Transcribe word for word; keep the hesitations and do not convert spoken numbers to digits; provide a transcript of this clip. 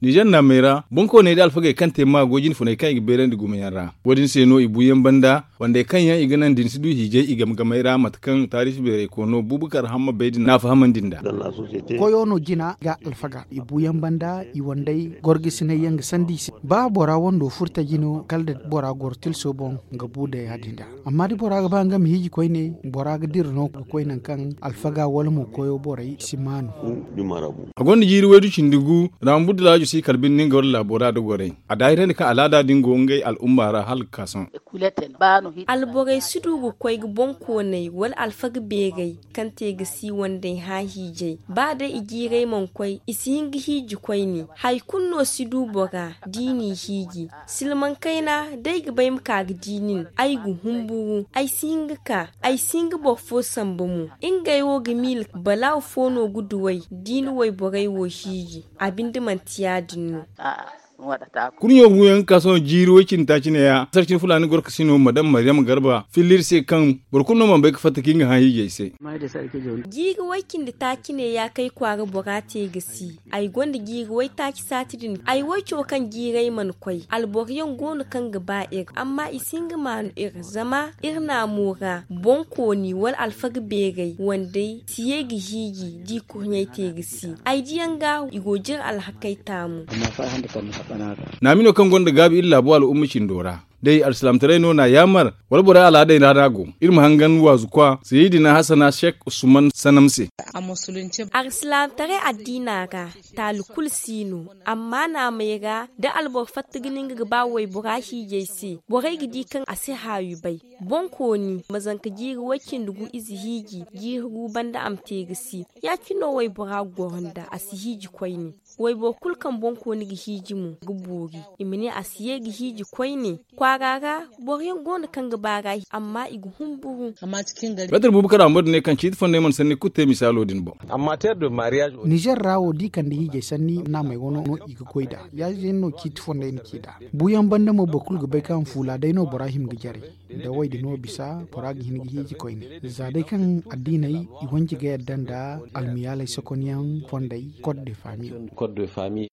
Nizer naamey ra boŋkooney nda alfagey kaŋ te maago jinfuney kaŋ i ga beerandi gumo yaŋ ra. Wo- din se no i buuyaŋ banda wandey kaŋ yaŋ i ga naŋ da ni si du hiijay i game-gamey ra mate kaŋ taariisi beeray koono buubakar hamma bay din n'a fahamandi nd'a. Koyo no jina ga alfaga i buuyaŋ banda i wandey gorgisinay yaŋ ga sandi i se. Ba bora wando furtaji no kala da bora goro tilso boŋ ga bu nda ya- din nd'a. Amma da bora ga ba nga ma hiiji koyne bora ga dira no ga koy nangu kaŋ alfaga wala mo koyo borey si maanu. A gonda jiiri waydu cindi gu raambudu laajo si kala binde nga wala laabo ra da gorey. A daahirandi kaŋ alaada din go ngey al'umma ra hala ga ka sohõ. Alborey si du ga koy ga boŋkooney wala alfaga beerey kaŋ te ga si wandey hã hiijay ba day i jiirey mana koy i si hin ga hiiji koyne. Hari kulu no si du bora da i n'i hiiji. Silmaŋ kayna da ay ga bay ma ka ga di nin ay ga humburu ay si hin ga ka. Ay si hin ga boro fo samba mo. Ngey wo ga miila balaaw fo no ga duw'ey da i na wayborey wo hiiji. A binde manti ya- din no. Kurɲo guyaŋ ga ka sohõ jiiri way cindi taaci ne- ya sarcin fulaani gorkasino madam maryam garba filla iri se kaŋ boro kulu no mana bay ga fatta kaŋ i ga hã hiijay se. Jiiri way cindi taaci ne- ya kaŋ ay kwaara bora te ga si. Ay gonda jiiri waytaaci saati din ay wayco kaŋ jiirey mana koy alboroyaŋ go no kaŋ ga ba iri amma i si hin ga maanu iri zama iri naamo ra boŋkooni wala alfaga beerey wandey si ye ga hiiji da i kurɲey te ga si. Ay diyaŋ ga i go jire alhakey taamu. Naami no kaŋ gonda gaabi iri laabo al'umma cindo ra day alsilaamataray no n'a yaamar wala borey alaadey ra no a go. Iri ma hangan waazu kwa sayidina hasana sheek usman sanam se. Alsilaamataray addiina ra taali kulu si no. Amma naamey ra da alboro fatta ga nin ga ga ba waybora hiijay se borey ga di kaŋ a si haawi bay. Boŋkooni ma zanka jiiri way-cindi gu ize hiiji jiiri gu banda a ma te ga si. Ya- cine no waybora ga goro nda a si hiiji koyne. Wayboro kulu kaŋ boŋkooni ga hiiji mo ga boori. I ma ne a si ye ga hiiji koyne. Kwaara ra boroyaŋ go no kaŋ ga baar'a amma i ga humburu. Meetar buubu karaŋ boro din ne kaŋ ciiti fondey mana sanni kulu te misaalo din boŋ. Nizer ra wo da i kande hiijay sanni naamey wano no i ga goy nd'a. Ya- din no ciiti fondey na ci nd'a. Buuyaŋ banda mo boro kulu ga bay kaŋ fuula day no bora hima ga jare. Da woy din no bisa bora ga hin ga hiiji koyne za day kaŋ addiiney i wanji ga yadda nda almiyaaley sokonyaŋ fondey. Kot de fami.